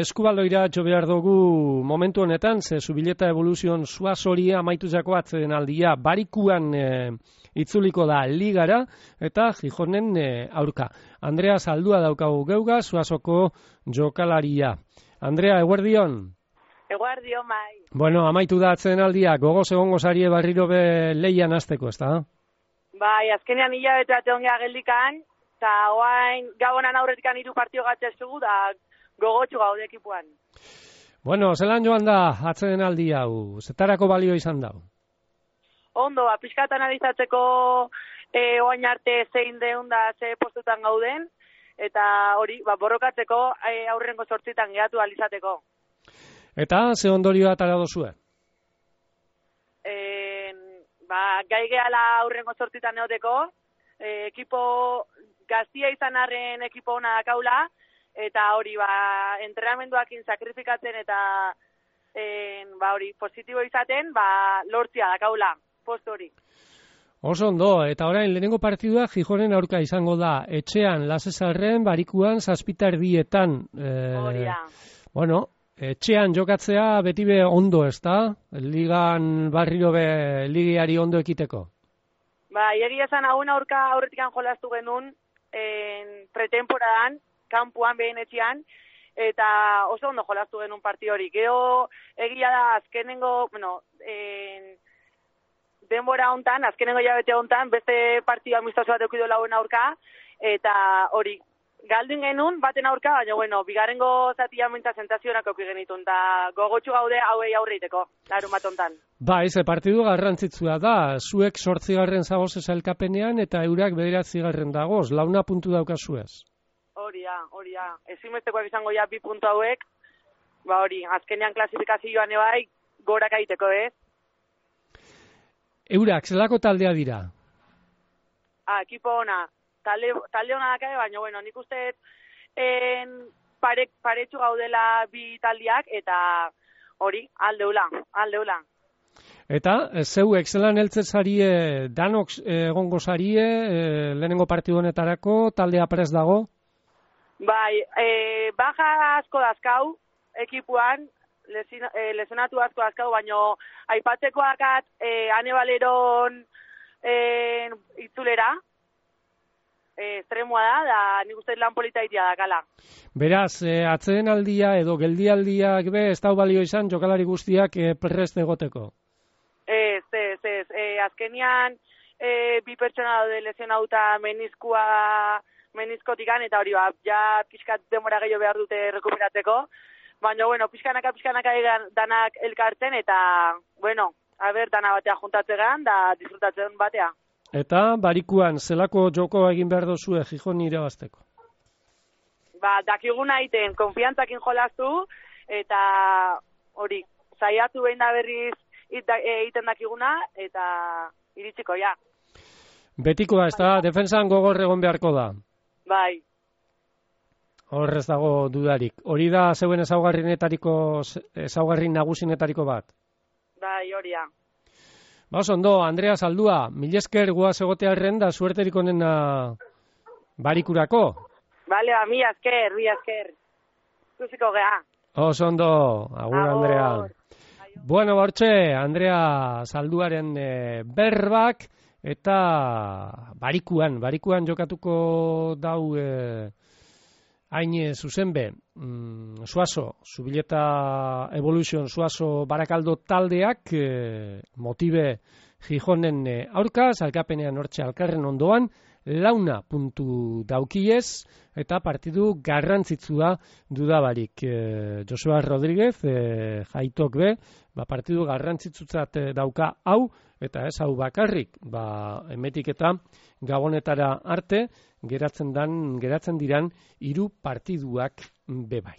Eskubaloira jo behar dugu momentu honetan, ze Zubileta Evoluzion Zuazori amaituzako atzeden aldia barikuan itzuliko da ligara eta Gijonen aurka. Andrea Zaldua daukagu geuga, Zuazoko jokalaria. Andrea, eguerdion? Eguerdion, bai. Bueno, amaitu da atzeden aldia, gogoz egongo zarie barriro be leian azteko, ezta? Bai, azkenean hilabete bat egon geha geldikan, eta oain gabonan aurretikan 3 partio gatzestugu, da gogotxu gaude ekipuan. Bueno, zelan joan da atzeden aldi hau, zetarako balio izan da? Ondo, pixkat analizatzeko oain arte zein deun da ze postutan gauden, eta hori, borrokatzeko aurrengo 8 gehatu alizateko. Eta ze ondorioa atara dozue? Gai gehala aurrengo 8 neoteko, ekipo gaztia izan arren ekipo hona dakaula, eta hori, entrenamenduakin sakrifikatzen eta hori, positibo izaten, lortzia dakaula, post hori. Oso ondo, eta orain lehenengo partidua Gijonen aurka izango da, etxean, Lasesarren, barikuan, 7:00 Hori da. Bueno, etxean jokatzea beti be ondo, ezta? Ligan barriro be ligiari ondo ekiteko. Egia esan aurretikan jolastu genuen pretemporadan, kanpuan behen etxean, eta oso ondo jolastu genuen partio hori. Gero egia da azkenengo, denbora hontan, azkenengo hilabete hontan, beste partio amistoso bat eukidu lauen aurka, eta hori, galdin genuen baten aurka, baina, bigarrengo zatia mintza sentazionak auki genitun, eta gogotxu gaude hauei aurreiteko, larun bat hontan. Ze partidu garrantzitsua da, zuek 8. zagoz elkapenean eta eurak 9. dagoz, 4 puntu daukazuez. Hori da. Ezinbestekoak izango 2 puntu hauek, hori, azkenean klasifikazioan ebai, gorak aiteko, ez? Eurak, zelako taldea dira? Ekipo ona. Talde ona dakabe, baina, nik uste paretxu gaudela 2 taldiak, eta hori, aldeula. Eta, zeuek, zelan heltzen zarie, danok egongo zarie, lehenengo partidu honetarako, taldea prest dago? Bai, baja asko dazkau, ekipuan, lesionatu asko dazkau, baina aipatzekoakat Ane Baleron itzulera, estremoa da nik uste lan polita itia dakala. Beraz, atzeden aldia edo geldialdiak ez dau balio izan jokalari guztiak prest egoteko? Ez. Azkenian 2 pertsona daude lesionauta meniskotikan, eta hori ja pixkat demora gehiago behar dute rekuperatzeko. Baina, pixkanaka danak elkartzen, eta, dana batea juntatzegan, da disfrutatzen batea. Eta barikuan, zelako joko egin behar dozue Gijon irabazteko? Dakiguna egiten, konfiantzakin jolastu, eta hori, saiatu behin da berriz egiten dakiguna, eta iritsiko, ja. Betikoa, ez da, defensan gogor egon beharko da? Bai. Horrez dago dudarik. Hori da zeuen ezaugarri nagusinetariko bat? Bai, hori da. Ondo, Andrea Zaldua, mil esker guaz egotearren da suerterik onena barikurako. Bale, mila esker. Zuziko geha. Ondo, agur Andrea. Bueno, bortxe, Andrea Zalduaren berbak eta barikuan jokatuko dau hain zuzenbe, Zuazo, Zubileta Evoluzion Zuazo Barakaldo taldeak motibe Gijonen aurka, zalkapenean hortxe alkarren ondoan, 4 puntu daukiez, eta partidu garrantzitsua dudabarik. Joseba Rodríguez, jaitok be, partidu garrantzitsutzat dauka hau, eta ez hau bakarrik, emetik eta Gabonetara arte, geratzen diran 3 partiduak bebai.